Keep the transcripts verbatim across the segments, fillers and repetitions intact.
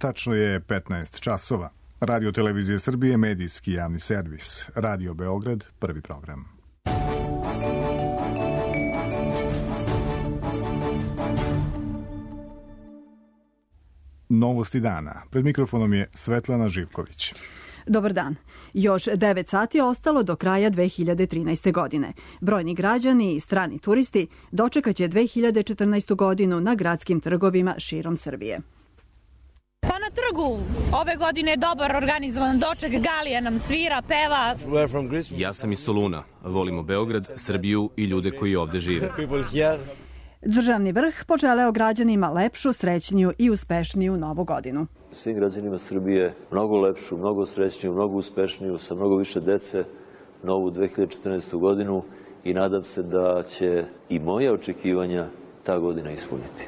Tačno je petnaest časova. Radio Televizije Srbije, medijski javni servis. Radio Beograd, prvi program. Novosti dana. Pred mikrofonom je Svetlana Živković. Dobar dan. Još devet sati je ostalo do kraja dve hiljade trinaeste. godine. Brojni građani i strani turisti dočekaće dve hiljade četrnaestu. godinu na gradskim trgovima širom Srbije. Pa na trgu ove godine je dobar organizovan doček, Galija nam svira, peva. Ja sam iz Soluna. Volimo Beograd, Srbiju i ljude koji ovde žive. Državni vrh poželeo građanima lepšu, srećniju i uspešniju novu godinu. Svim građanima Srbije mnogo lepšu, mnogo srećniju, mnogo uspešniju, sa mnogo više dece novu dve hiljade četrnaestu. godinu i nadam se da će i moje očekivanja ta godina ispuniti.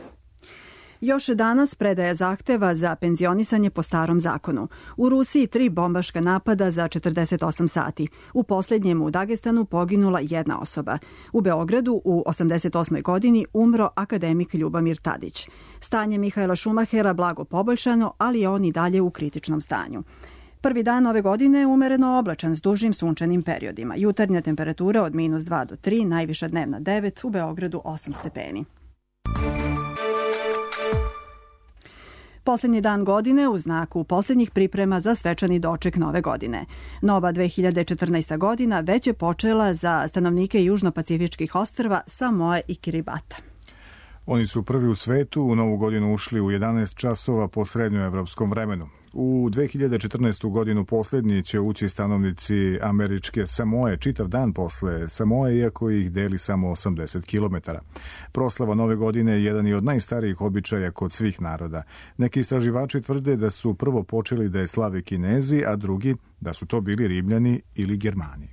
Još danas predaja zahteva za penzionisanje po starom zakonu. U Rusiji tri bombaška napada za četrdeset osam sati. U posljednjem u Dagestanu poginula jedna osoba. U Beogradu u osamdeset osmoj. godini umro akademik Ljubomir Tadić. Stanje Mihaela Šumahera blago poboljšano, ali je on i dalje u kritičnom stanju. Prvi dan ove godine je umereno oblačan s dužim sunčanim periodima. Jutarnja temperatura od minus dva do tri, najviša dnevna devet, u Beogradu osam stepeni. Poslednji dan godine u znaku poslednjih priprema za svečani doček nove godine. Nova dve hiljade četrnaesta. godina već je počela za stanovnike južnopacifičkih ostrva Samoe i Kiribata. Oni su prvi u svetu u novu godinu ušli u jedanaest časova po srednjoevropskom vremenu. U dve hiljade četrnaestu. godinu posljednji će ući stanovnici američke Samoe čitav dan posle Samoe, iako ih deli samo osamdeset kilometara. Proslava nove godine je jedan od najstarijih običaja kod svih naroda. Neki istraživači tvrde da su prvo počeli da je slave Kinezi, a drugi da su to bili Rimljani ili Germani.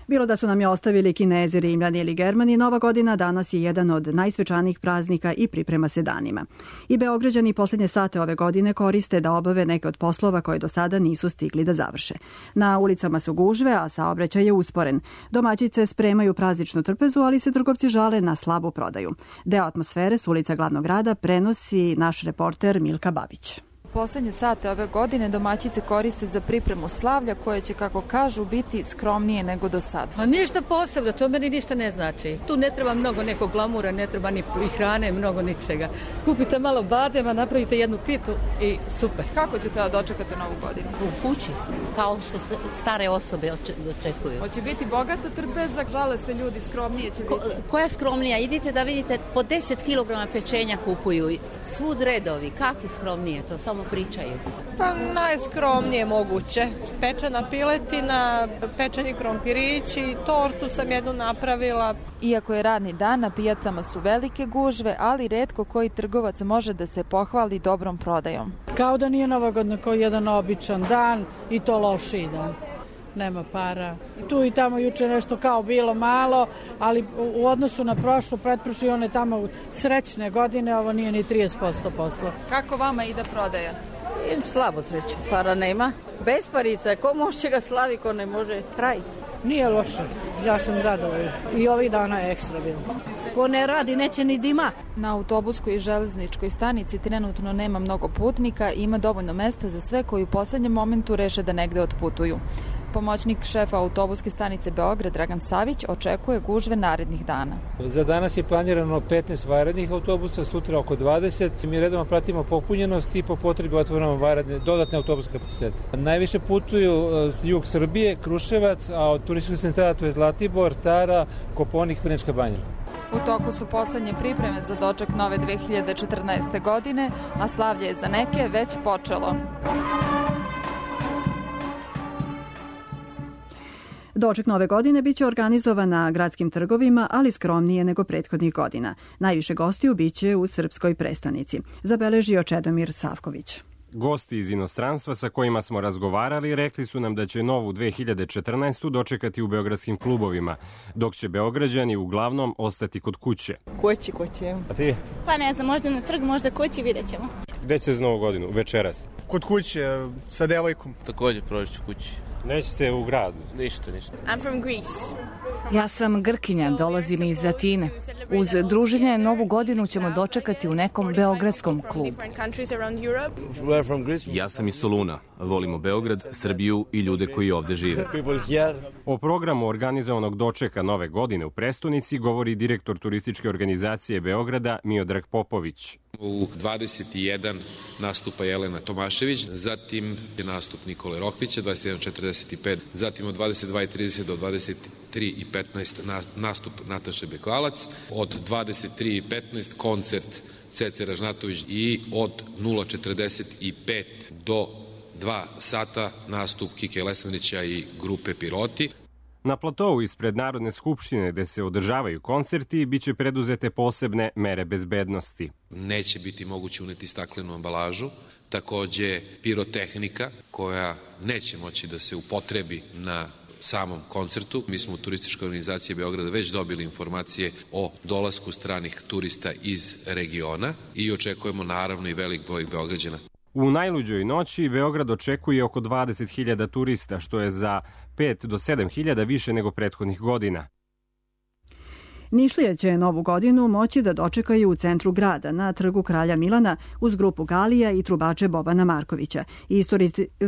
Bilo da su nam je ostavili Kinezi, Rimljani ili Germani, Nova godina danas je jedan od najsvečanijih praznika i priprema se danima. I Beograđani poslednje sate ove godine koriste da obave neke od poslova koje do sada nisu stigli da završe. Na ulicama su gužve, a saobraćaj je usporen. Domaćice spremaju prazničnu trpezu, ali se trgovci žale na slabu prodaju. Deo atmosfere s ulica glavnog grada prenosi naš reporter Milka Babić. Poslednje sate ove godine domaćice koriste za pripremu slavlja koje će, kako kažu, biti skromnije nego do sada. A ništa posebno, to meni ništa ne znači. Tu ne treba mnogo nekog glamura, ne treba ni hrane, mnogo ničega. Kupite malo badema, napravite jednu pitu i super. Kako ćete da dočekate novu godinu? U kući, kao što stare osobe dočekuju. Hoće biti bogata trpeza, žale se ljudi, skromnije će biti. Ko, koja skromnija? Idite da vidite, po deset kilograma pečenja kupuju, svud redovi, kakvi skromnije, to samo pričaju. Pa najskromnije moguće. Pečena piletina, pečeni krompirići, tortu sam jednu napravila. Iako je radni dan, na pijacama su velike gužve, ali retko koji trgovac može da se pohvali dobrom prodajom. Kao da nije Nova godina, kao jedan običan dan i to lošiji dan. Nema para. Tu i tamo juče nešto kao bilo malo, ali u odnosu na prošlu, pretprošlu i one tamo srećne godine, ovo nije ni trideset posto posla. Kako vama ide prodaja? I slabo sreće. Para nema. Besparica, ko može ga slavi, ko ne može, kraj. Nije loše, ja sam zadovoljna. I ovih dana je ekstra bilo. Ko ne radi, neće ni dima. Na autobuskoj i železničkoj stanici trenutno nema mnogo putnika i ima dovoljno mesta za sve koji u poslednjem momentu reše da negde otputuju. Pomoćnik šefa autobuske stanice Beograd, Dragan Savić, očekuje gužve narednih dana. Za danas je planirano petnaest vanrednih autobusa, sutra oko dvadeset. Mi redovno pratimo popunjenost i po potrebi otvoramo vanredne, dodatne autobuske kapacitete. Najviše putuju jug Srbije, Kruševac, a od turističkih centara to je Zlatibor, Tara, Koponik, Vrnjačka Banja. U toku su poslednje pripreme za doček nove dve hiljade četrnaeste. godine, a slavlje je za neke već počelo. Doček nove godine biće organizovan na gradskim trgovima, ali skromnije nego prethodnih godina. Najviše gostiju biće u srpskoj prestonici, zabeležio Čedomir Savković. Gosti iz inostranstva sa kojima smo razgovarali rekli su nam da će novu dve hiljade četrnaestu. dočekati u beogradskim klubovima, dok će Beograđani uglavnom ostati kod kuće. Kući, kući. A ti? Pa ne znam, možda na trg, možda kući, vidjet ćemo. Gde će za novu godinu? Večeras? Kod kuće, sa devojkom. Također proći ću kući. Nećete u grad? Ništa, ništa. I'm from Greece. Ja sam Grkinja, dolazim iz Atine. Uz druženje Novu godinu ćemo dočekati u nekom beogradskom klubu. Ja sam iz Soluna. Volimo Beograd, Srbiju i ljude koji ovde žive. O programu organizovanog dočeka Nove godine u prestonici govori direktor turističke organizacije Beograda Miodrag Popović. U dvadeset jedan nastupa Jelena Tomašević, zatim je nastup Nikole Rokvića, dvadeset jedan četrdeset pet, zatim od dvadeset dva i trideset do dvadeset tri i petnaest nastup Nataše Bekvalac, od dvadeset tri i petnaest koncert Cece Ražnatović i od nula četrdeset pet do dva sata nastup Kike Lesandrića i grupe Piroti. Na platovu ispred Narodne skupštine gde se održavaju koncerti biće preduzete posebne mere bezbednosti. Neće biti moguće uneti staklenu ambalažu, takođe pirotehnika koja neće moći da se upotrebi na samom koncertu. Mi smo u turističkoj organizaciji Beograda već dobili informacije o dolasku stranih turista iz regiona i očekujemo naravno i velik broj Beograđana. U najluđoj noći Beograd očekuje oko dvadeset hiljada turista, što je za pet do sedam hiljada više nego prethodnih godina. Nišlije će Novu godinu moći da dočekaju u centru grada, na trgu Kralja Milana, uz grupu Galija i trubače Bobana Markovića. I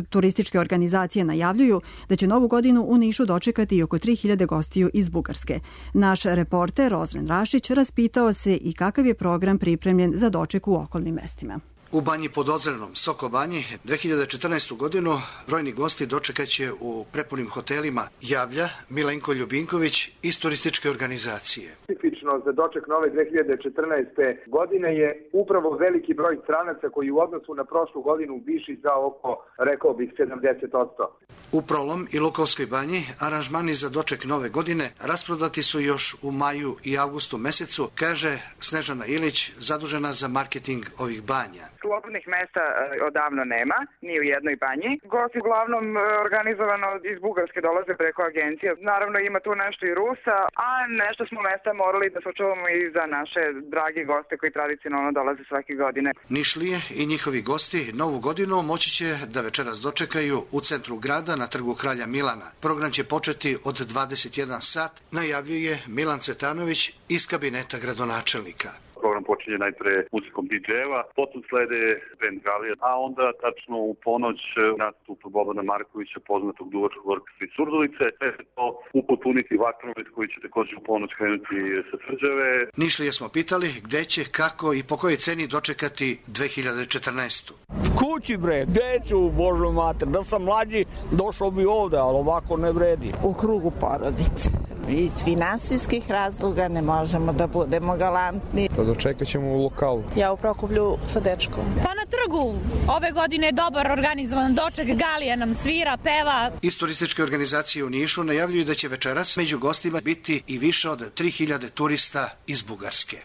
turističke organizacije najavljuju da će Novu godinu u Nišu dočekati i oko tri hiljade gostiju iz Bugarske. Naš reporter Ozren Rašić raspitao se i kakav je program pripremljen za doček u okolnim mestima. U Banji pod Ozrenom, Soko Banji, dve hiljade četrnaestu. godinu brojni gosti dočekaće u prepunim hotelima, javlja Milenko Ljubinković iz turističke organizacije. Specifično za doček nove dve hiljade četrnaeste. godine je upravo veliki broj stranaca koji u odnosu na prošlu godinu viši za oko, rekao bih, sedamdeset posto. U Prolom i Lukovskoj Banji aranžmani za doček nove godine rasprodati su još u maju i avgustu mesecu, kaže Snežana Ilić, zadužena za marketing ovih banja. Slobodnih mesta odavno nema, ni u jednoj banji. Gosti uglavnom organizovano iz Bugarske dolaze preko agencije. Naravno ima tu nešto i Rusa, a nešto smo mesta morali da sačuvamo i za naše drage goste koji tradicionalno dolaze svake godine. Nišlije i njihovi gosti Novu godinu moći će da večeras dočekaju u centru grada na trgu Kralja Milana. Program će početi od dvadeset jedan sat, najavljuje Milan Cvetanović iz kabineta gradonačelnika. Program počinje najpre muzikom di džejeva, potom slede band Galija, a onda tačno u ponoć nastup Bobana Markovića, poznatog duvačkog orkestra iz Surdulice, sve se to upotpuniti vatromet koji će također u ponoć krenuti sa Tvrđave. Nišlije smo pitali gde će, kako i po kojoj ceni dočekati dve hiljade četrnaestu. Kući bre, deću, Božo mater, da sam mlađi došao bi ovde, ali ovako ne vredi. U krugu porodice. Iz finansijskih razloga ne možemo da budemo galantni. Pa dočekat ćemo u lokalu. Ja u Prokuplju sa dečkom. Pa na trgu ove godine je dobar organizovan doček, Galija nam svira, peva. Iz turističke organizacije u Nišu najavljuju da će večeras među gostima biti i više od tri hiljade turista iz Bugarske.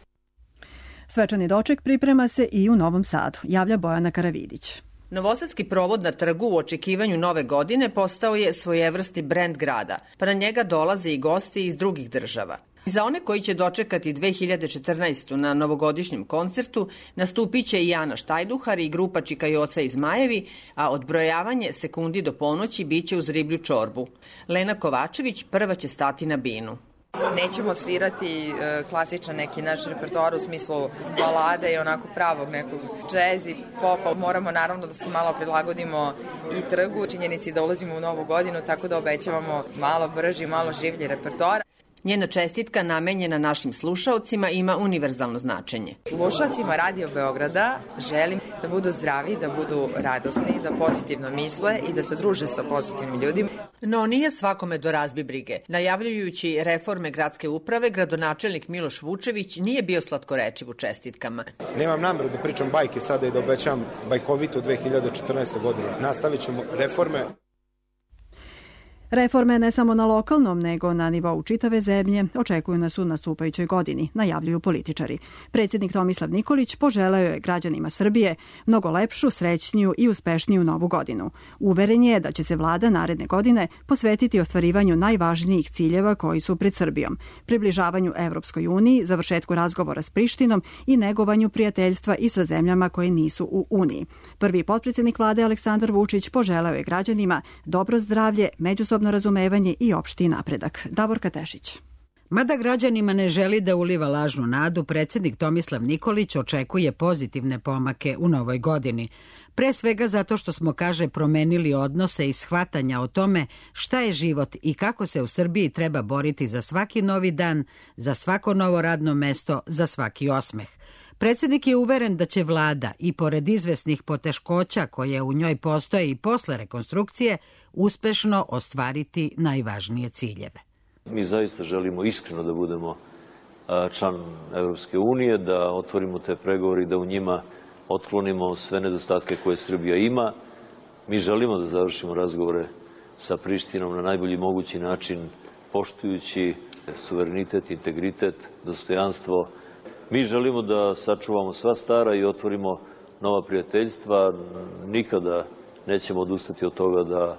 Svečani doček priprema se i u Novom Sadu, javlja Bojana Karavidić. Novosadski provod na trgu u očekivanju nove godine postao je svojevrsni brend grada, pa na njega dolaze i gosti iz drugih država. Za one koji će dočekati dve hiljade četrnaestu. na novogodišnjem koncertu nastupit će i Ana Štajduhar i grupa Čikajoca iz Majevi, a odbrojavanje sekundi do ponoći biće uz riblju čorbu. Lena Kovačević prva će stati na binu. Nećemo svirati e, klasičan neki naš repertoar u smislu balade i onako pravog nekog džez i popa. Moramo naravno da se malo prilagodimo i trgu, činjenici da ulazimo u novu godinu, tako da obećavamo malo brži, malo življi repertoar. Njena čestitka namenjena našim slušaocima ima univerzalno značenje. Slušaocima Radio Beograda želim da budu zdravi, da budu radosni, da pozitivno misle i da se druže sa pozitivnim ljudima. No nije svakome do razbi brige. Najavljujući reforme gradske uprave, gradonačelnik Miloš Vučević nije bio slatkorečiv u čestitkama. Nemam nameru da pričam bajke sada i da obećam bajkovitu dve hiljade četrnaestu. godinu. Nastavit ćemo reforme. Reforme ne samo na lokalnom, nego na nivou čitave zemlje očekuju nas u nastupajućoj godini, najavljuju političari. Predsjednik Tomislav Nikolić poželeo je građanima Srbije mnogo lepšu, srećniju i uspešniju novu godinu. Uveren je da će se vlada naredne godine posvetiti ostvarivanju najvažnijih ciljeva koji su pred Srbijom, približavanju Evropskoj uniji, završetku razgovora s Prištinom i negovanju prijateljstva i sa zemljama koje nisu u Uniji. Prvi potpredsjednik vlade Aleksandar Vučić poželeo je građanima dobro zdravlje, međusobno razumevanje i opšti napredak. Davorka Tešić. Mada građanima ne želi da uliva lažnu nadu, predsjednik Tomislav Nikolić očekuje pozitivne pomake u novoj godini. Pre svega zato što smo, kaže, promenili odnose i shvatanja o tome šta je život i kako se u Srbiji treba boriti za svaki novi dan, za svako novo radno mesto, za svaki osmeh. Predsjednik je uveren da će vlada i pored izvesnih poteškoća koje u njoj postoje i posle rekonstrukcije uspešno ostvariti najvažnije ciljeve. Mi zaista želimo iskreno da budemo član Evropske unije, da otvorimo te pregovore i da u njima otklonimo sve nedostatke koje Srbija ima. Mi želimo da završimo razgovore sa Prištinom na najbolji mogući način, poštujući suverenitet, integritet, dostojanstvo. Mi želimo da sačuvamo sva stara i otvorimo nova prijateljstva. Nikada nećemo odustati od toga da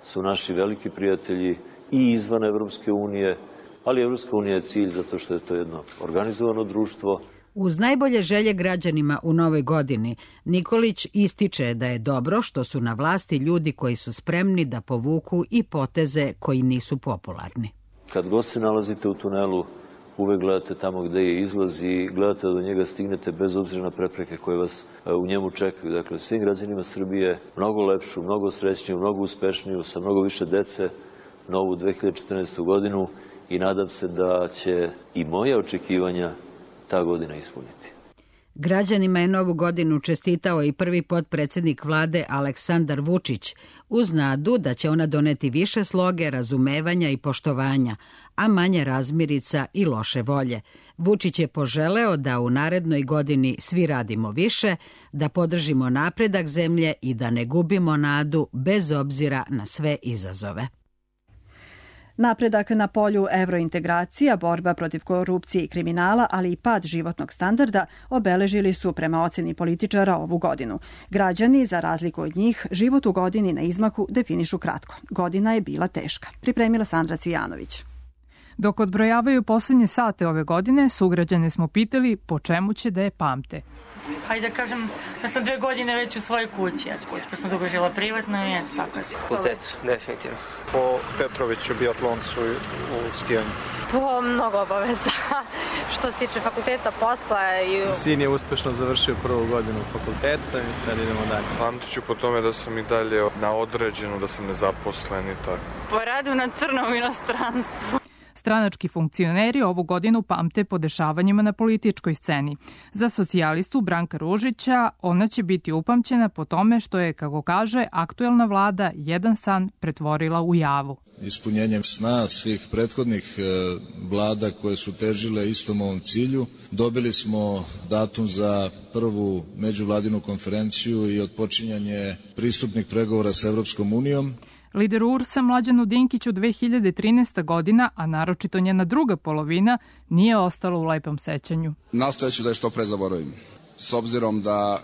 su naši veliki prijatelji i izvan Evropske unije, ali Evropska unija je cilj zato što je to jedno organizovano društvo. Uz najbolje želje građanima u novoj godini, Nikolić ističe da je dobro što su na vlasti ljudi koji su spremni da povuku i poteze koji nisu popularni. Kad god se nalazite u tunelu, uvek gledate tamo gde je izlaz i gledate da do njega stignete bez obzira na prepreke koje vas u njemu čekaju. Dakle, svim građanima Srbije mnogo lepšu, mnogo srećniju, mnogo uspešniju, sa mnogo više dece, novu dve hiljade četrnaestu. godinu i nadam se da će i moje očekivanja ta godina ispuniti. Građanima je novu godinu čestitao i prvi potpredsjednik vlade Aleksandar Vučić, uz nadu da će ona doneti više sloge, razumevanja i poštovanja, a manje razmirica i loše volje. Vučić je poželeo da u narednoj godini svi radimo više, da podržimo napredak zemlje i da ne gubimo nadu bez obzira na sve izazove. Napredak na polju evrointegracija, borba protiv korupcije i kriminala, ali i pad životnog standarda obeležili su prema oceni političara ovu godinu. Građani, za razliku od njih, život u godini na izmaku definišu kratko. Godina je bila teška. Pripremila Sandra Cvijanović. Dok odbrojavaju poslednje sate ove godine, sugrađane smo pitali po čemu će da je pamte. Hajde da kažem da sam dve godine već u svojoj kući, eto kući, pa sam dugo žila privatno i eto tako je. Fakultetu, definitivno. Po Petroviću, biatloncu u skijanju. Po mnogo obaveza. Što se tiče fakulteta, posla i... Sin je uspešno završio prvu godinu fakulteta i sad idemo dalje. Pamtit ću po tome da sam i dalje na određeno, da sam nezaposlen i tako. Po radu na crnom inostranstvu. Stranački funkcioneri ovu godinu pamte po dešavanjima na političkoj sceni. Za socijalistu Branka Ružića ona će biti upamćena po tome što je, kako kaže, aktuelna vlada jedan san pretvorila u javu. Ispunjenjem sna svih prethodnih vlada koje su težile istom ovom cilju, dobili smo datum za prvu međuvladinu konferenciju i otpočinjanje pristupnih pregovora sa Evropskom unijom. Lider U R S-a Mlađanu Dinkiću dve hiljade trinaesta. godina, a naročito njena druga polovina, nije ostala u lepom sećanju. Nastojeću da je što pre zaboravim. S obzirom da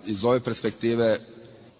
iz ove perspektive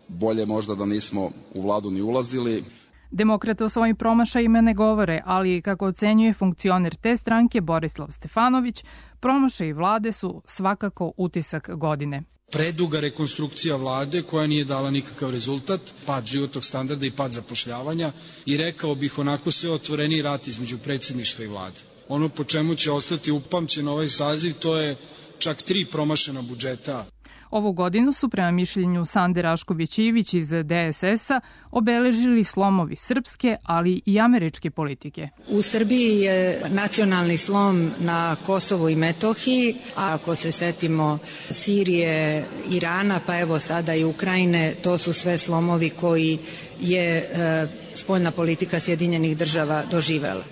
bolje možda da nismo u vladu ni ulazili. Demokrate o svojim promašajima ne govore, ali kako ocenjuje funkcioner te stranke Borislav Stefanović, promašaji vlade su svakako utisak godine. Preduga rekonstrukcija vlade koja nije dala nikakav rezultat, pad životnog standarda i pad zapošljavanja i rekao bih onako sve otvoreni rat između predsjedništva i vlade. Ono po čemu će ostati upamćen ovaj saziv to je čak tri promašena budžeta. Ovu godinu su prema mišljenju Sande Rašković-Ivić iz D S S-a obeležili slomovi srpske, ali i američke politike. U Srbiji je nacionalni slom na Kosovu i Metohiji, a ako se setimo Sirije, Irana, pa evo sada i Ukrajine, to su sve slomovi koji je e, spoljna politika Sjedinjenih država doživela.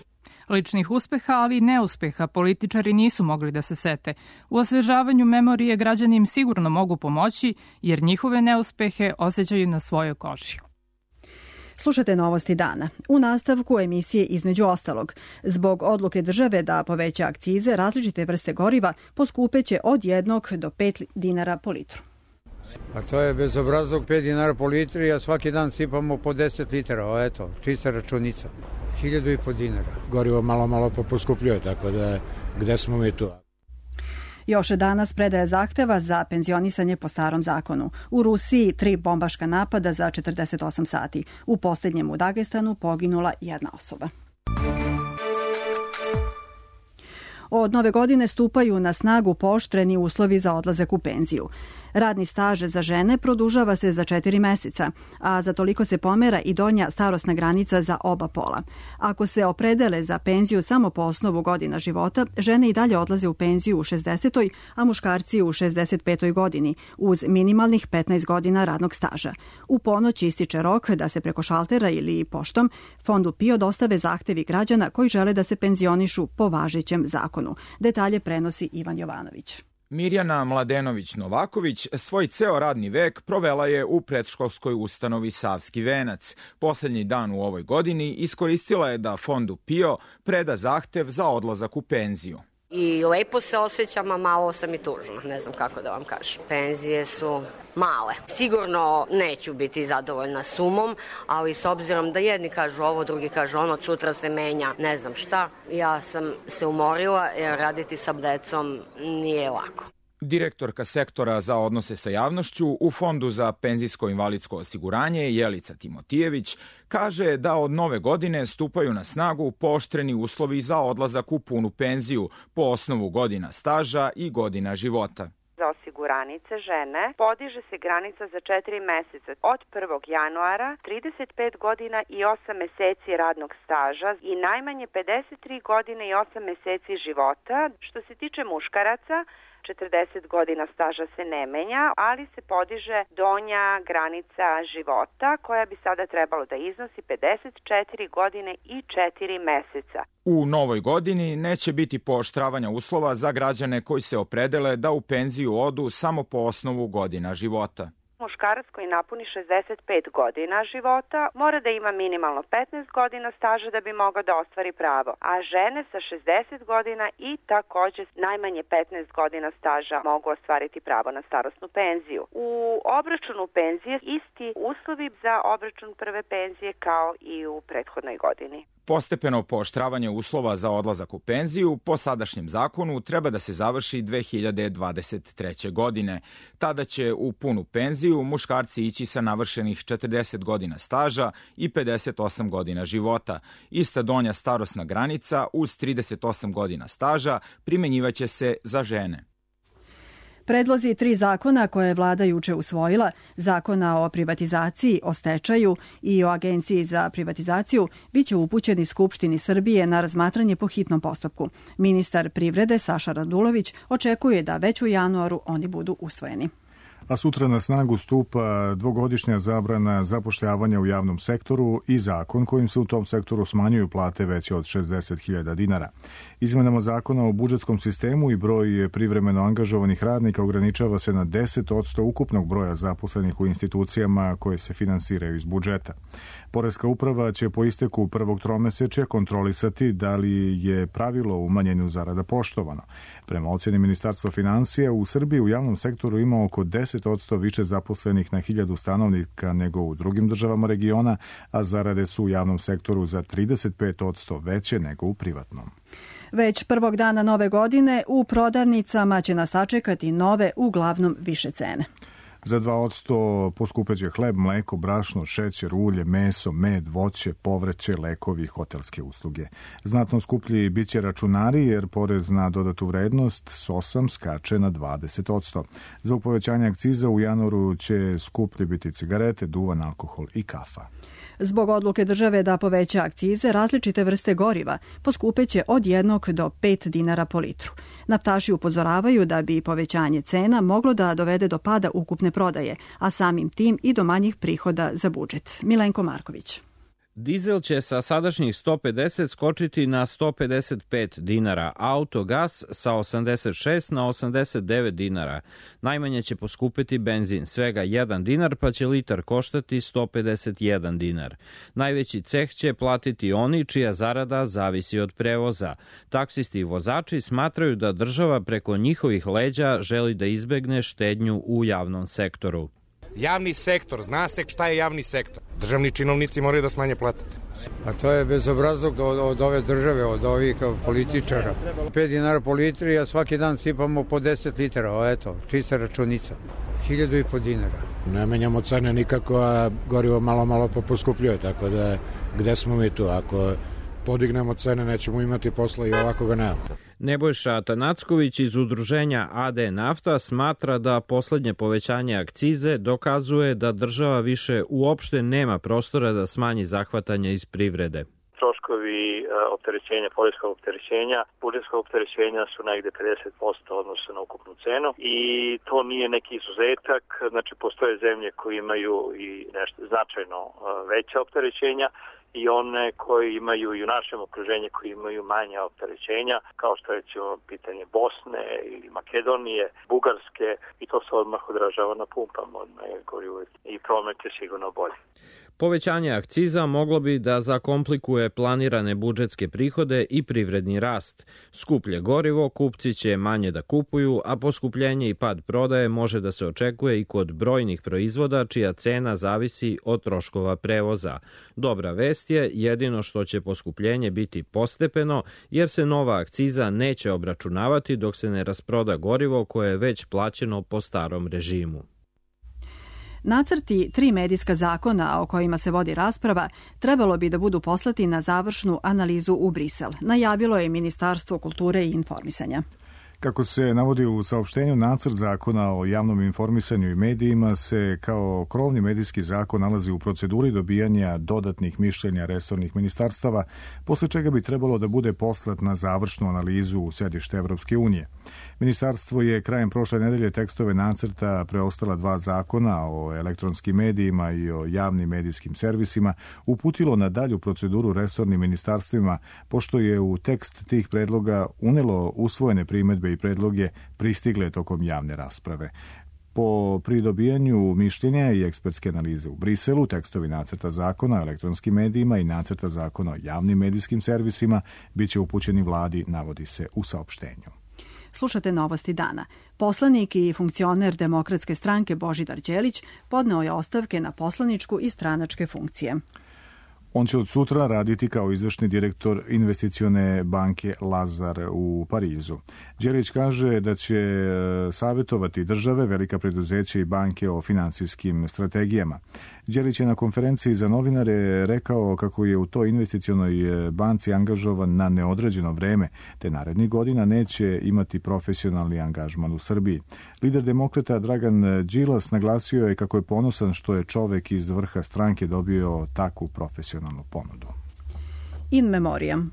Ličnih uspeha, ali i neuspeha političari nisu mogli da se sete. U osvežavanju memorije građani im sigurno mogu pomoći, jer njihove neuspehe osjećaju na svojoj koži. Slušate novosti dana. U nastavku emisije između ostalog. Zbog odluke države da poveća akcize, različite vrste goriva poskupeće od jednog do pet dinara po litru. A to je bezobrazlog, pet dinara po litri, a svaki dan sipamo po deset litara. Eto, čista računica. Hiljadu i po dinara. Gorivo malo, malo poskupljuje, tako da gde smo mi tu? Još danas predaje zahteva za penzionisanje po starom zakonu. U Rusiji tri bombaška napada za četrdeset osam sati. U posljednjem u Dagestanu poginula jedna osoba. Od nove godine stupaju na snagu pooštreni uslovi za odlazak u penziju. Radni staž za žene produžava se za četiri meseca, a za toliko se pomera i donja starosna granica za oba pola. Ako se opredele za penziju samo po osnovu godina života, žene i dalje odlaze u penziju u šezdesetoj, a muškarci u šezdeset petoj godini, uz minimalnih petnaest godina radnog staža. U ponoć ističe rok da se preko šaltera ili poštom Fondu PIO dostave zahtevi građana koji žele da se penzionišu po važećem zakonu. Detalje prenosi Ivan Jovanović. Mirjana Mladenović-Novaković svoj ceo radni vek provela je u predškolskoj ustanovi Savski venac. Poslednji dan u ovoj godini iskoristila je da Fondu PIO preda zahtev za odlazak u penziju. I lepo se osjećam, a malo sam i tužna, ne znam kako da vam kažem. Penzije su male. Sigurno neću biti zadovoljna sumom, ali s obzirom da jedni kažu ovo, drugi kažu ono, sutra se menja, ne znam šta. Ja sam se umorila jer raditi sa decom nije lako. Direktorka sektora za odnose sa javnošću u Fondu za penzijsko-invalidsko osiguranje Jelica Timotijević kaže da od nove godine stupaju na snagu pooštreni uslovi za odlazak u punu penziju po osnovu godina staža i godina života. Za osiguranice žene podiže se granica za četiri meseca od prvog januara, trideset pet godina i osam meseci radnog staža i najmanje pedeset tri godine i osam meseci života. Što se tiče muškaraca, četrdeset godina staža se ne menja, ali se podiže donja granica života koja bi sada trebalo da iznosi pedeset četiri godine i četiri meseca. U novoj godini neće biti pooštravanja uslova za građane koji se opredele da u penziju odu samo po osnovu godina života. Muškarac koji napuni šezdeset pet godina života mora da ima minimalno petnaest godina staža da bi mogao da ostvari pravo, a žene sa šezdeset godina i takođe najmanje petnaest godina staža mogu ostvariti pravo na starosnu penziju. U obračunu penzije isti uslovi za obračun prve penzije kao i u prethodnoj godini. Postepeno pooštravanje uslova za odlazak u penziju po sadašnjem zakonu treba da se završi dve hiljade dvadeset treće. godine. Tada će u punu penziju muškarci ići sa navršenih četrdeset godina staža i pedeset osam godina života. Ista donja starosna granica uz trideset osam godina staža primenjivaće se za žene. Predlozi tri zakona koje je vlada juče usvojila, zakona o privatizaciji, o stečaju i o Agenciji za privatizaciju, biće upućeni Skupštini Srbije na razmatranje po hitnom postupku. Ministar privrede Saša Radulović očekuje da već u januaru oni budu usvojeni. A sutra na snagu stupa dvogodišnja zabrana zapošljavanja u javnom sektoru i zakon kojim se u tom sektoru smanjuju plate veće od šezdeset hiljada dinara. Izmenama zakona o budžetskom sistemu i broj privremeno angažovanih radnika ograničava se na deset posto ukupnog broja zaposlenih u institucijama koje se finansiraju iz budžeta. Poreska uprava će po isteku prvog tromesečja kontrolisati da li je pravilo umanjenju zarada poštovano. Prema ocjeni Ministarstva finansija, u Srbiji u javnom sektoru ima oko deset posto više zaposlenih na hiljadu stanovnika nego u drugim državama regiona, a zarade su u javnom sektoru za trideset pet posto veće nego u privatnom. Već prvog dana nove godine u prodavnicama će nas sačekati nove, uglavnom više cene. Za dva posto poskupeće hleb, mleko, brašno, šećer, ulje, meso, med, voće, povrće, lekovi i hotelske usluge. Znatno skuplji biće računari jer porez na dodatu vrednost s osam skače na dvadeset posto. Zbog povećanja akciza u januaru će skuplji biti cigarete, duvan, alkohol i kafa. Zbog odluke države da poveća akcize, različite vrste goriva poskupeće od jednog do pet dinara po litru. Naftaši upozoravaju da bi povećanje cena moglo da dovede do pada ukupne prodaje, a samim tim i do manjih prihoda za budžet. Milenko Marković. Dizel će sa sadašnjih sto pedeset skočiti na sto pedeset pet dinara, autogas sa osamdeset šest na osamdeset devet dinara. Najmanje će poskupiti benzin, svega jedan dinar, pa će litar koštati sto pedeset jedan dinar. Najveći ceh će platiti oni čija zarada zavisi od prevoza. Taksisti i vozači smatraju da država preko njihovih leđa želi da izbegne štednju u javnom sektoru. Javni sektor, zna se šta je javni sektor. Državni činovnici moraju da smanje plate. A to je bezobrazluk od, od ove države, od ovih političara. pet dinara po litri, a svaki dan sipamo po deset litara, o eto, čista računica. Hiljadu i po dinara. Ne menjamo cene nikako, a gorivo malo malo poskupljuje, tako da gde smo mi tu? Ako podignemo cene, nećemo imati posla i ovako ga nemamo. Nebojša Atanacković iz udruženja A D Nafta smatra da poslednje povećanje akcize dokazuje da država više uopšte nema prostora da smanji zahvatanje iz privrede. Troškovi opterećenja, poreskog opterećenja, budžetskog opterećenja su negde pedeset posto odnosno na ukupnu cenu i to nije neki izuzetak, znači postoje zemlje koje imaju i nešto značajno veća opterećenja i one koji imaju i u našem okruženju koji imaju manja opterećenja, kao što je recimo pitanje Bosne ili Makedonije, Bugarske i to se odmah odražava na pumpama, odmah je gorivo i promet je sigurno bolji. Povećanje akciza moglo bi da zakomplikuje planirane budžetske prihode i privredni rast. Skuplje gorivo, kupci će manje da kupuju, a poskupljenje i pad prodaje može da se očekuje i kod brojnih proizvoda čija cena zavisi od troškova prevoza. Dobra vest je jedino što će poskupljenje biti postepeno, jer se nova akciza neće obračunavati dok se ne rasproda gorivo koje je već plaćeno po starom režimu. Nacrti tri medijska zakona o kojima se vodi rasprava trebalo bi da budu poslati na završnu analizu u Brisel, najavilo je Ministarstvo kulture i informisanja. Kako se navodi u saopštenju, nacrt zakona o javnom informisanju i medijima se kao krovni medijski zakon nalazi u proceduri dobijanja dodatnih mišljenja resornih ministarstava, posle čega bi trebalo da bude poslat na završnu analizu u sedište Evropske unije. Ministarstvo je krajem prošle nedelje tekstove nacrta preostala dva zakona o elektronskim medijima i o javnim medijskim servisima uputilo na dalju proceduru resornim ministarstvima, pošto je u tekst tih predloga unelo usvojene primedbe i predloge pristigle tokom javne rasprave. Po pridobijanju mišljenja i ekspertske analize u Briselu, tekstovi nacrta zakona o elektronskim medijima i nacrta zakona o javnim medijskim servisima biće upućeni vladi, navodi se u saopštenju. Slušate Novosti dana. Poslanik i funkcioner Demokratske stranke Božidar Đelić podneo je ostavke na poslaničku i stranačke funkcije. On će od sutra raditi kao izvršni direktor investicione banke Lazar u Parizu. Đelić kaže da će savjetovati države, velika preduzeća i banke o finansijskim strategijama. Đelić je na konferenciji za novinare rekao kako je u toj investicionoj banci angažovan na neodređeno vreme, te narednih godina neće imati profesionalni angažman u Srbiji. Lider demokrata Dragan Đilas naglasio je kako je ponosan što je čovek iz vrha stranke dobio takvu profesionalnu ponudu. In memoriam.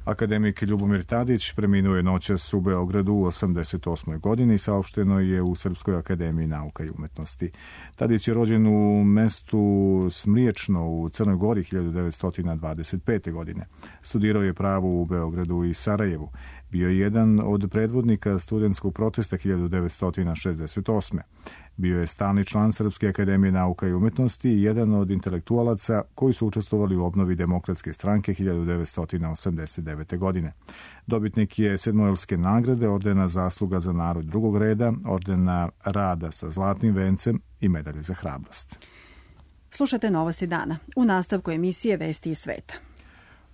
Akademik Ljubomir Tadić preminuo je noćas u Beogradu u osamdeset osmoj godini, saopšteno je u Srpskoj akademiji nauka i umetnosti. Tadić je rođen u mestu Smriječno u Crnoj Gori hiljadu devetsto dvadeset pete. godine. Studirao je pravo u Beogradu i Sarajevu. Bio je jedan od predvodnika studentskog protesta hiljadu devetsto šezdeset osme. Bio je stalni član Srpske akademije nauka i umetnosti i jedan od intelektualaca koji su učestvovali u obnovi Demokratske stranke hiljadu devetsto osamdeset devete. godine. Dobitnik je Sedmojelske nagrade, ordena Zasluga za narod drugog reda, ordena Rada sa zlatnim vencem i medalje za hrabrost. Slušate Novosti dana. U nastavku emisije Vesti iz sveta.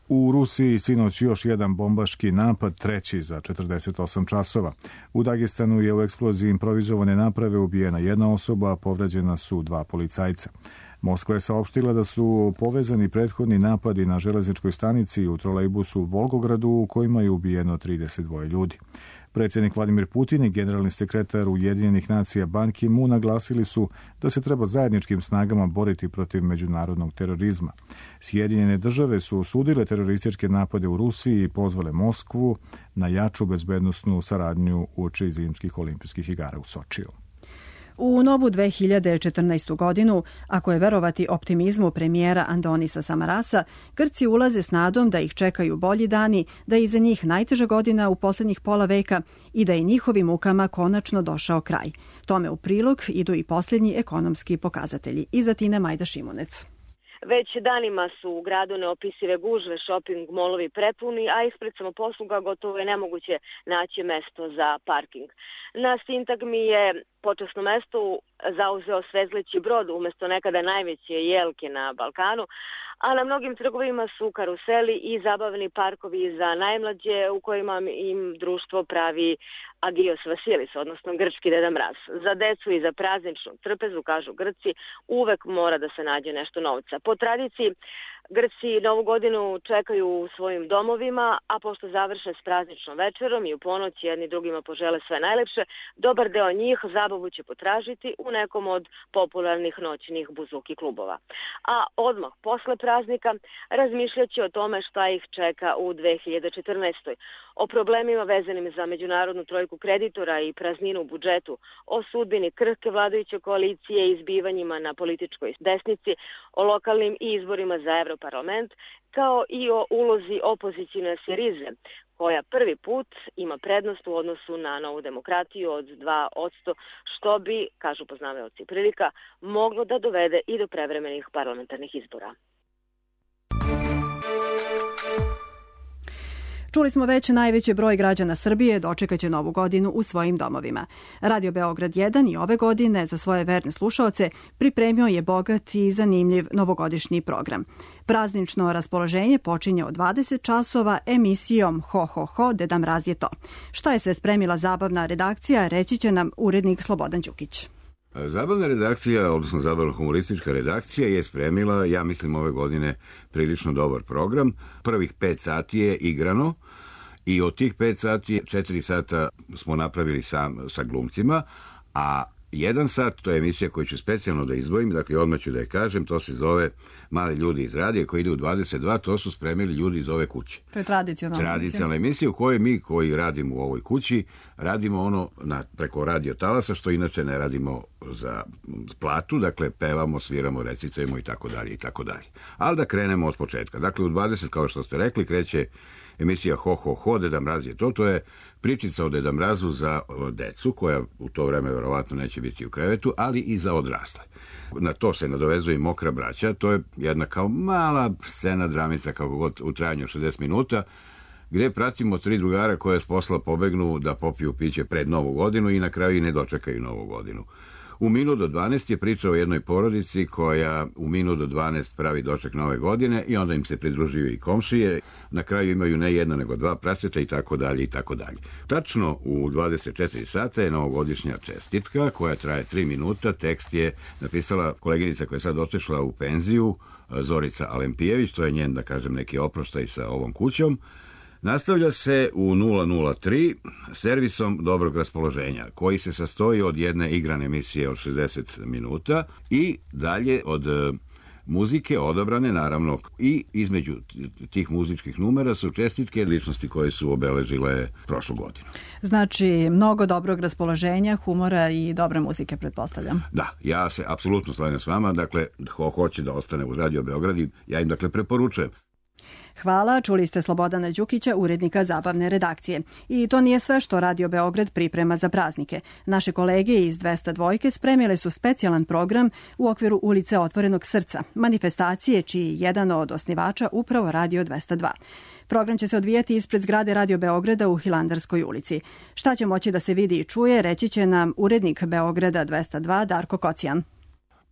U Rusiji sinoć još jedan bombaški napad, treći za četrdeset osam časova. U Dagestanu je u eksploziji improvizovane naprave ubijena jedna osoba, a povređena su dva policajca. Moskva je saopštila da su povezani prethodni napadi na železničkoj stanici i u trolejbusu u Volgogradu u kojima je ubijeno trideset dva ljudi. Predsjednik Vladimir Putin i generalni sekretar Ujedinjenih nacija Ban Ki-moon naglasili su da se treba zajedničkim snagama boriti protiv međunarodnog terorizma. Sjedinjene države su osudile terorističke napade u Rusiji i pozvale Moskvu na jaču bezbednosnu saradnju uoči zimskih olimpijskih igara u Sočiju. U novu dve hiljade četrnaestu godinu, ako je verovati optimizmu premijera Andonisa Samarasa, Grci ulaze s nadom da ih čekaju bolji dani, da je iza njih najteža godina u poslednjih pola veka i da je njihovim mukama konačno došao kraj. Tome u prilog idu i posljednji ekonomski pokazatelji. Iza Tine Majda Šimunec. Već danima su u gradu neopisive gužve, shopping molovi prepuni, a ispred samoposluga gotovo je nemoguće naći mesto za parking. Na sintagmi je počasno mesto zauzeo svezleći brod umesto nekada najveće jelke na Balkanu, a na mnogim trgovima su karuseli i zabavni parkovi za najmlađe u kojima im društvo pravi Agios Vasilis, odnosno grčki Deda Mraz. Za decu i za prazničnu trpezu, kažu Grci, uvek mora da se nađe nešto novca. Po tradiciji, Grci Novu godinu čekaju u svojim domovima, a pošto završe s prazničnom večerom i u ponoć jedni drugima požele sve najlepše, dobar deo njih zabavu će potražiti u nekom od popularnih noćnih buzuki klubova. A odmah posle praznika razmišljaće o tome šta ih čeka u dve hiljade četrnaestoj. O problemima vezanim za međunarodnu trojku kreditora i prazninu u budžetu, o sudbini krhke vladajuće koalicije i izbivanjima na političkoj desnici, o lokalnim i izborima za Evroparlament, kao i o ulozi opozicijne Syrize, koja prvi put ima prednost u odnosu na Novu demokratiju od dva posto, što bi, kažu poznavaoci prilika, moglo da dovede i do prevremenih parlamentarnih izbora. Čuli smo već, najveći broj građana Srbije dočekaće Novu godinu u svojim domovima. Radio Beograd jedan i ove godine za svoje verne slušaoce pripremio je bogat i zanimljiv novogodišnji program. Praznično raspoloženje počinje od dvadeset časova emisijom Ho, ho, ho, Deda Mraz je to. Šta je sve spremila zabavna redakcija, reći će nam urednik Slobodan Đukić. Zabavna redakcija, odnosno zabavno-humoristička redakcija je spremila, ja mislim, ove godine prilično dobar program. Prvih pet sati je igrano i od tih pet sati, četiri sata smo napravili sam, sa glumcima, a jedan sat, to je emisija koju ću specijalno da izdvojim, dakle odmah ću da je kažem, to se zove Mali ljudi iz radija koji ide u dvadeset dva, to su spremili ljudi iz ove kuće. To je tradicionalna emisija. Tradicionalna emisija u kojoj mi koji radimo u ovoj kući radimo ono na, preko radio talasa, što inače ne radimo za platu, dakle pevamo, sviramo, recitujemo i tako dalje i tako dalje. Ali da krenemo od početka. Dakle u dvadeset, kao što ste rekli, kreće emisija Ho, ho, ho, Deda Mraz je to, to je pričica o Deda Mrazu za decu, koja u to vreme verovatno neće biti u krevetu, ali i za odrasle. Na to se nadovezuje i Mokra braća, to je jedna kao mala scena dramica, kako god, u trajanju od šezdeset minuta, gde pratimo tri drugara koje s posla pobegnu da popiju piće pred Novu godinu i na kraju i ne dočekaju Novu godinu. U minut do dvanaest je priča o jednoj porodici koja u minut do dvanaest pravi doček Nove godine i onda im se pridružuju i komšije. Na kraju imaju ne jedno nego dva praseta i tako dalje i tako dalje. Tačno u dvadeset četiri sata je novogodišnja čestitka koja traje tri minuta. Tekst je napisala koleginica koja je sad otišla u penziju, Zorica Alempijević, to je njen, da kažem, neki oproštaj sa ovom kućom. Nastavlja se u nula nula tri servisom dobrog raspoloženja, koji se sastoji od jedne igrane emisije od šezdeset minuta i dalje od muzike odabrane, naravno, i između tih muzičkih numera su čestitke ličnosti koje su obeležile prošlu godinu. Znači, mnogo dobrog raspoloženja, humora i dobre muzike, pretpostavljam. Da, ja se apsolutno slažem s vama, dakle, ko hoće da ostane u Radio Beograd, ja im dakle preporučujem. Hvala, čuli ste Slobodana Đukića, urednika zabavne redakcije. I to nije sve što Radio Beograd priprema za praznike. Naše kolege iz dvesta dva spremile su specijalan program u okviru Ulice Otvorenog srca, manifestacije čiji je jedan od osnivača upravo Radio dvesta dva. Program će se odvijati ispred zgrade Radio Beograda u Hilandarskoj ulici. Šta će moći da se vidi i čuje, reći će nam urednik Beograda dvesta dva Darko Kocijan.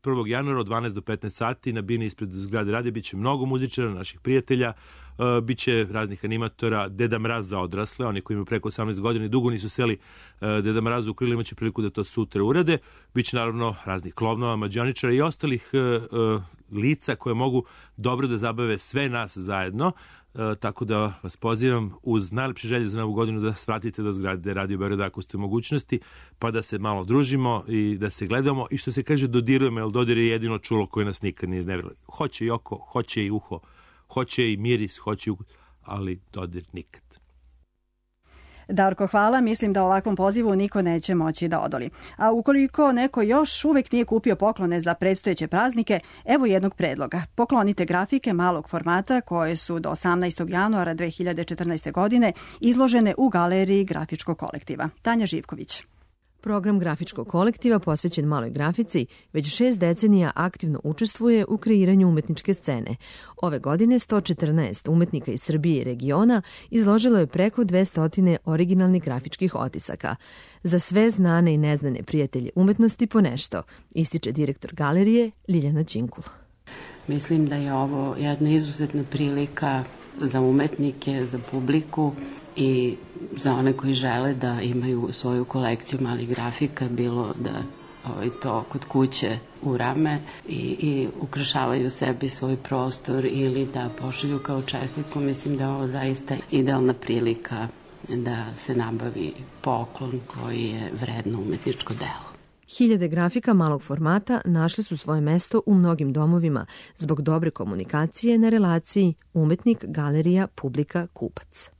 prvog januara od dvanaest do petnaest sati na bini ispred zgrade radija biće mnogo muzičara, naših prijatelja, uh, biće raznih animatora, Deda Mraz za odrasle, oni koji imaju preko osamnaest godina i dugo nisu seli uh, Deda Mrazu u krilo, imaće priliku da to sutra urade. Biće naravno raznih klovnova, mađioničara i ostalih uh, uh, lica koje mogu dobro da zabave sve nas zajedno. E, tako da vas pozivam uz najlepše želje za Novu godinu da svratite do zgrade Radio Beograda ako ste u mogućnosti, pa da se malo družimo i da se gledamo i što se kaže dodirujemo, jer dodir je jedino čulo koje nas nikad nije iznevjerilo. Hoće i oko, hoće i uho, hoće i miris, hoće i ukus, ali dodir nikad. Darko, hvala. Mislim da ovakvom pozivu niko neće moći da odoli. A ukoliko neko još uvek nije kupio poklone za predstojeće praznike, evo jednog predloga. Poklonite grafike malog formata koje su do osamnaestog januara dve hiljade četrnaeste. godine izložene u galeriji Grafičkog kolektiva. Tanja Živković. Program Grafičkog kolektiva posvećen maloj grafici već šest decenija aktivno učestvuje u kreiranju umetničke scene. Ove godine sto četrnaest umetnika iz Srbije i regiona izložilo je preko dvesta originalnih grafičkih otisaka. Za sve znane i neznane prijatelje umetnosti po nešto, ističe direktor galerije Ljiljana Ćinkul. Mislim da je ovo jedna izuzetna prilika za umetnike, za publiku i za one koji žele da imaju svoju kolekciju malih grafika, bilo da ovaj, to kod kuće urame i, i ukrašavaju sebi svoj prostor ili da pošalju kao čestitku. Mislim da je ovo zaista idealna prilika da se nabavi poklon koji je vredno umetničko delo. Hiljade grafika malog formata našli su svoje mesto u mnogim domovima zbog dobre komunikacije na relaciji umetnik, galerija, publika, kupac.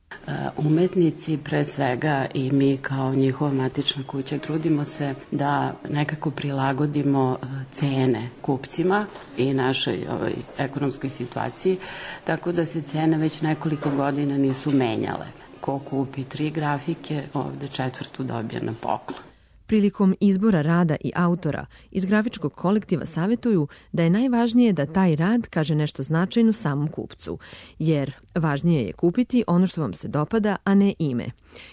Umetnici, pre svega i mi kao njihova matična kuća, trudimo se da nekako prilagodimo cene kupcima i našoj ovaj, ekonomskoj situaciji, tako da se cene već nekoliko godina nisu menjale. Ko kupi tri grafike, ovde četvrtu dobije na poklon. Prilikom izbora rada i autora iz Grafičkog kolektiva savjetuju da je najvažnije da taj rad kaže nešto značajno samom kupcu, jer važnije je kupiti ono što vam se dopada, a ne ime.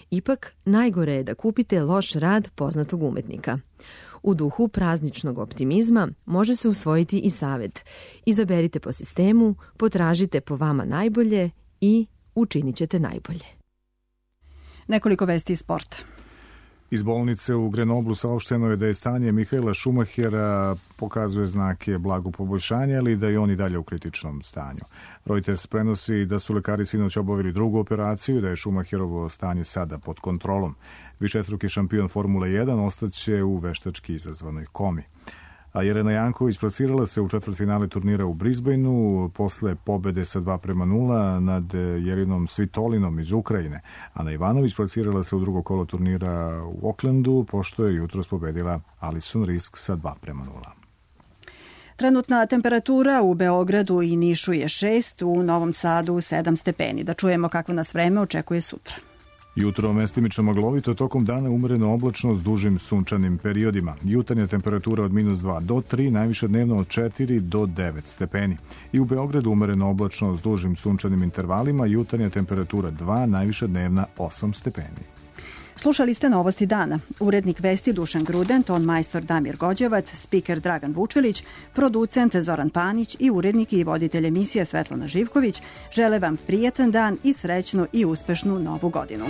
Ipak, najgore je da kupite loš rad poznatog umetnika. U duhu prazničnog optimizma može se usvojiti i savjet. Izaberite po sistemu, potražite po vama najbolje i učinit ćete najbolje. Nekoliko vesti iz sporta. Iz bolnice u Grenoblu saopšteno je da je stanje Mihaela Šumahera pokazuje znake blagog poboljšanja, ali da je on i dalje u kritičnom stanju. Reuters prenosi da su lekari sinoć obavili drugu operaciju, da je Šumacherovo stanje sada pod kontrolom. Višestruki šampion Formule jedan ostaće u veštački izazvanoj komi. A Jelena Janković plasirala se u četvrtfinale turnira u Brisbaneu posle pobede sa dva prema nula nad Jelinom Svitolinom iz Ukrajine. Ana Ivanović plasirala se u drugo kolo turnira u Aucklandu, pošto je jutros pobedila Alison Risk sa dva prema nula. Trenutna temperatura u Beogradu i Nišu je šest, u Novom Sadu sedam stepeni. Da čujemo kakvo nas vreme očekuje sutra. Jutro mestimično maglovito, tokom dana umereno oblačno s dužim sunčanim periodima. Jutarnja temperatura od minus dva do tri, najviše dnevno od četiri do devet stepeni. I u Beogradu umereno oblačno s dužim sunčanim intervalima, jutarnja temperatura dva, najviše dnevna osam stepeni. Slušali ste Novosti dana. Urednik vesti Dušan Gruden, ton majstor Damir Gođevac, spiker Dragan Vučelić, producent Zoran Panić i urednik i voditelj emisije Svetlana Živković žele vam prijatan dan i srećnu i uspešnu novu godinu.